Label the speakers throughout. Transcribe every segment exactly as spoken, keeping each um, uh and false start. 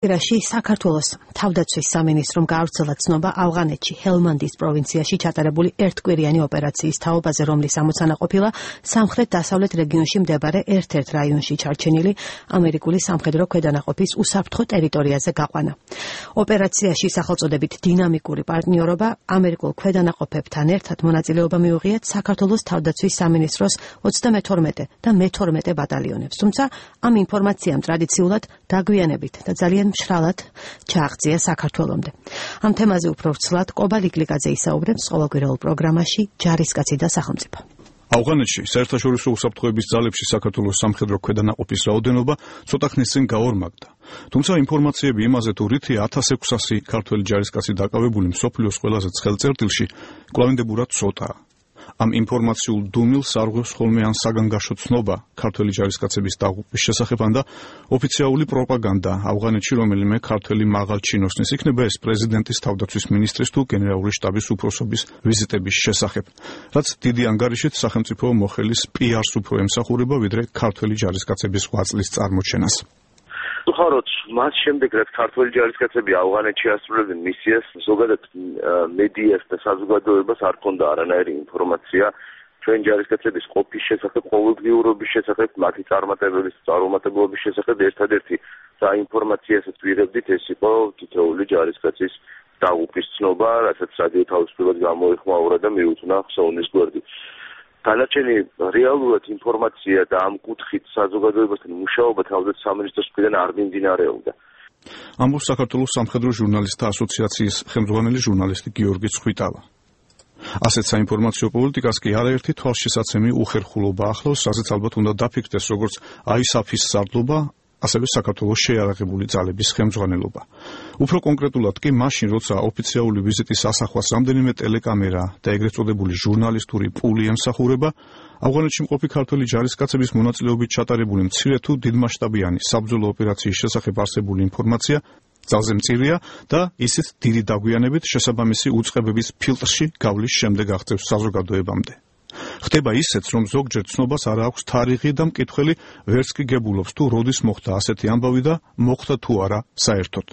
Speaker 1: რაში საქართველოს თავდაცვის სამინისტრომ გაავრცელა ცნობა ავღანეთში ჰელმანდის პროვინციაში ჩატარებული ერთკვირიანი ოპერაციის თაობაზე, რომლის ამოცანა ყოფილა სამხრეთ-დასავლეთ რეგიონში მდებარე ერთ-ერთ რაიონში ჩარჩენილი ამერიკული სამხედრო ქვედანაყოფის უსაფრთხო ტერიტორიაზე გაყვანა. ოპერაციაში სახელწოდებით დინამიკური პარტნიორობა ამერიკულ ქვედანაყოფებთან ერთად მონაწილეობა მიუღიათ საქართველოს თავდაცვის სამინისტროს ოცდამეთორმეტე და მეთორმეტე ბატალიონებს, თუმცა ამ ინფორმაციამ ტრადიციულად დაგვიანებით და ძალიან მშრალად ჩააღწია საქართველომდე. ამ თემაზე უფრო ვრცლად კობა ლიკლიკაძე ისაუბრებს ყოველკვირეულ პროგრამაში ჯარისკაცი და სახელმწიფო.
Speaker 2: ავღანეთში საერთაშორისო უსაფრთხოების ძალებში საქართველოს სამხედრო ქვედანაყოფის რაოდენობა ცოტა ხნის წინ გაორმაგდა. თუმცა ინფორმაციები იმაზე, თუ რითია ათას ექვსასი ქართველი ჯარისკაცი დაკავებული მსოფლიოს ყველაზე ცხელ წერტილში, კვლავინდებურად ცოტაა. ამ ინფორმაციულ დუმილს არღვევს ხოლმე ან საგანგაშო ცნობა ქართველი ჯარისკაცების დაღუპვის შესახებ და ოფიციალური პროპაგანდა ავღანეთში რომელიმე ქართველი მაღალჩინოსნის, იქნება ეს პრეზიდენტის, თავდაცვის მინისტრის თუ გენერალური შტაბის უფროსობის ვიზიტების შესახებ, რაც დიდი ანგარიშით სახელმწიფო მოხელის პი-არს უფრო ემსახურება, ვიდრე ქართველი ჯარისკაცების ღვაწლის წარმოჩენას.
Speaker 3: ხაროთ მას შემდეგ რაც ქართველი ჯარისკაცები ავღანეთში ასრულებდნენ მისიას, ზოგადად მედიას და საზოგადოებას არ ჰქონდა არანაირი ინფორმაცია ჩვენ ჯარისკაცების ყოფის შესახებ, ყოველდღიურობის შესახებ, მათი წარმატებების, წარუმატებლობის შესახებ. ერთადერთი საინფორმაციასაც ვიღებდით, ეს იყო თითოეული ჯარისკაცის დაღუპვის ცნობა, რასაც რადიო თავისუფლებას გამოეხმაურა და მიუძღვნა ხსოვნის გვერდი. დანარჩენი რეალურად ინფორმაცია და ამ კუთხით საზოგადოებასთან მუშაობა თავდაცვის სამინისტროს მხრიდან არ მიმდინარეობდა.
Speaker 2: ამბობს საქართველოს სამხედრო ჟურნალისტთა ასოციაციის ხელმძღვანელი ჟურნალისტი გიორგი ცხვითავა. ასეთ საინფორმაციო პოლიტიკას კი არაერთი თვალშისაცემი უხერხულობა ახლავს, რასაც ალბათ უნდა დაფიქრდეს როგორც აისაფის სარდლობა, ასევე საქართველოს შეიარაღებული ძალების ხელმძღვანელობა. უფრო კონკრეტულად კი მაშინ, როცა ოფიციალური ვიზიტის ასახვას რამდენიმე ტელეკამერა და ეგრეთ წოდებული ჟურნალისტური პული ემსახურება, ავღანეთში მყოფი ქართველი ჯარისკაცების მონაწილეობით ჩატარებული მცირე თუ დიდმასშტაბიანი საბრძოლო ოპერაციის შესახებ არსებული ინფორმაცია ძალზე მწირია და ისიც დიდი დაგვიანებით შესაბამისი უწყებების ფილტრში გავლის შემდეგ აღწევს საზოგადოებამდე. ხდება ისეც, რომ ზოგჯერ ცნობას არ აქვს თარიღი და მკითხველი ვერც კი გებულობს თუ როდის მოხდა ასეთი ამბავი და მოხდა თუ არა საერთოდ.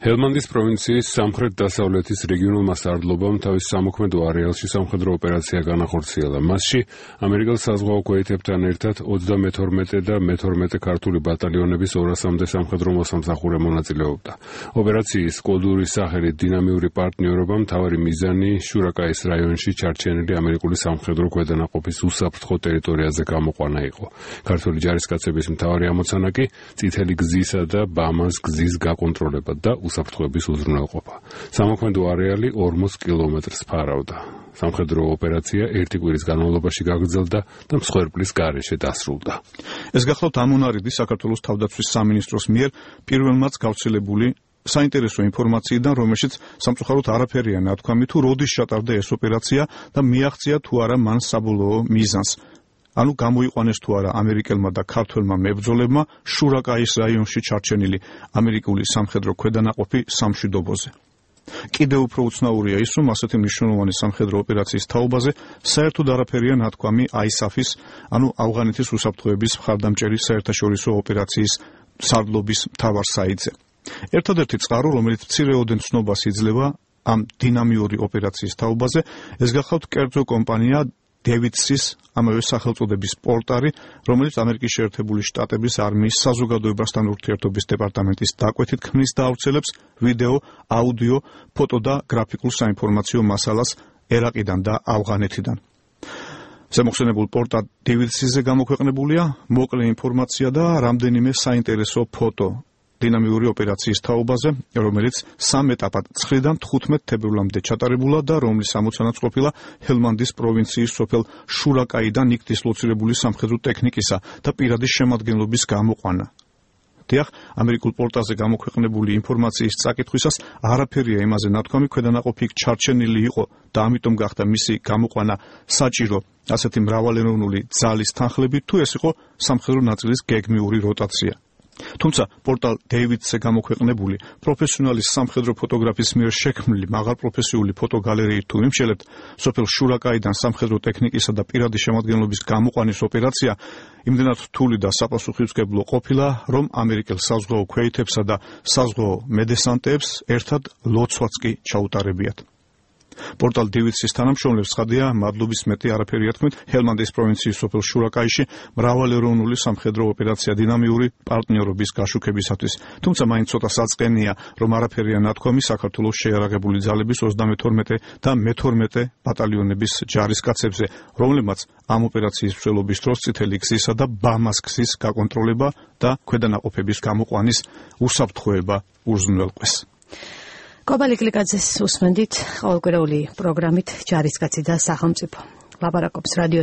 Speaker 4: ჰელმანდის პროვინციის სამხრეთ-დასავლეთის რეგიონულმა სარდლობამ თავის სამოქმედო არეალში სამხედრო ოპერაცია განახორციელა. მასში ამერიკელ საზღვაო ქვეითებთან ერთად ოცდამეთორმეტე და მეთორმეტე ქართული ბატალიონების ორასამდე სამხედრო მოსამსახურე მონაწილეობდა. ოპერაციის კოდური სახელით დინამიური პარტნიორობა მთავარი მიზანი შურაკაის რაიონში ჩარჩენილი ამერიკული სამხედრო ქვედანაყოფის უსაფრთხო ტერიტორიაზე გამოყვანა იყო. ქართული ჯარისკაცების მთავარი ამოცანა კი წითელი გზისა და ბამას გზის გაკონტროლება და უსაფრთხოების უზრუნველყოფა. სამოქმედო არეალი ორმოც კილომეტრს ფარავდა. სამხედრო ოპერაცია ერთი კვირის განმავლობაში გაგრძელდა და მსხვერპლის გარეშე დასრულდა.
Speaker 2: ეს გახლავთ ამონარიდი საქართველოს თავდაცვის სამინისტროს მიერ პირველმაც გავრცელებული საინტერესო ინფორმაციიდან, რომელშიც სამწუხაროდ არაფერია ნათქვამი თუ როდის ჩატარდა ეს ოპერაცია და მიაღწია თუ არა მან საბოლოო მიზანს. ანუ გამოიყვანეს თუ არა ამერიკელმა და ქართველმა მებრძოლებმა შურაკაის რაიონში ჩარჩენილი ამერიკული სამხედრო ქვედანაყოფი სამშვიდობოზე. კიდევ უფრო უცნაურია ის, რომ ასეთი მნიშვნელოვანი სამხედრო ოპერაციის თაობაზე საერთოდ არაფერია ნათქვამი აისაფის, ანუ ავღანეთის უსაფრთხოების მხარდამჭერი საერთაშორისო ოპერაციის სარდლობის მთავარ საიტზე. ერთადერთი წყარო, რომელიც მცირეოდენ ცნობას იძლევა ამ დინამიური ოპერაციის თაობაზე, ეს გახლავთ კერძო კომპანია დევიდსის ამავე სახელწოდების პორტალი, რომელიც ამერიკის შეერთებული შტატების არმიის საზოგადოებასთან ურთიერთობის დეპარტამენტის დაკვეთით ქმნის და ავრცელებს ვიდეო, აუდიო, ფოტო და გრაფიკულ საინფორმაციო მასალას ერაყიდან და ავღანეთიდან. ზემოხსენებულ პორტალ დევიდსიზე გამოქვეყნებულია მოკლე ინფორმაცია და რამდენიმე საინტერესო ფოტო დინამიური ოპერაციის თაობაზე, რომელიც სამ ეტაპად ცხრიდან თხუთმეტ თებერვლამდე ჩატარებულა და რომლის ამოცანაც ყოფილა ჰელმანდის პროვინციის სოფელ შურაკაიდან იქ დისლოცირებული სამხედრო ტექნიკისა და პირადი შემადგენლობის გამოყვანა. დიახ, ამერიკულ პორტალზე გამოქვეყნებული ინფორმაციის წაკითხვისას არაფერია იმაზე ნათქვამი, ქვედანაყოფი იქ ჩარჩენილი იყო და ამიტომ გახდა მისი გამოყვანა საჭირო ასეთი მრავალეროვნული ძალის თანხლებით, თუ ეს იყო სამხედრო ნაწილის გეგმიური როტაცია. თუმცა პორტალ დეივიდსზე გამოქვეყნებული პროფესიონალის სამხედრო ფოტოგრაფის მიერ შექმნილი მაღალპროფესიული ფოტოგალერეით თუ იმშელებთ, სოფელ შურაკაიდან სამხედრო ტექნიკისა და პირადი შემადგენლობის გამოყვანის ოპერაცია იმდენად რთული და საპასუხისმგებლო ყოფილა, რომ ამერიკელ საზღვაო ქვეითებსა და საზღვაო მედესანტებს ერთად ლოცვაც კი ჩაუტარებიათ. პორტალ დეივიდსის თანამშრომლებს ცხადია, მადლობის მეტი არაფერია თქმით, ჰელმანდის პროვინციის სოფელ შურაკაიში მრავალეროვნული სამხედრო ოპერაცია დინამიური პარტნიორობის გაშუქებისათვის. თუმცა მაინც ცოტა საწყენია, რომ არაფერია ნათქვამი საქართველოს შეიარაღებული ძალების ოცდამეთორმეტე და მეთორმეტე ბატალიონების ჯარისკაცებზე, რომლებმაც ამ ოპერაციის მსვლელობის დროს წითელი გზისა და ბამას გზის გაკონტროლება და ქვედანაყოფების გამოყვანის უსაფრთხოება უზრუნველყვეს.
Speaker 1: კობალი კლიკაძეს უსმენდით ყოველკვირეული პროგრამით ჯარისკაცი და სახელმწიფო. ლაპარაკობს რადიო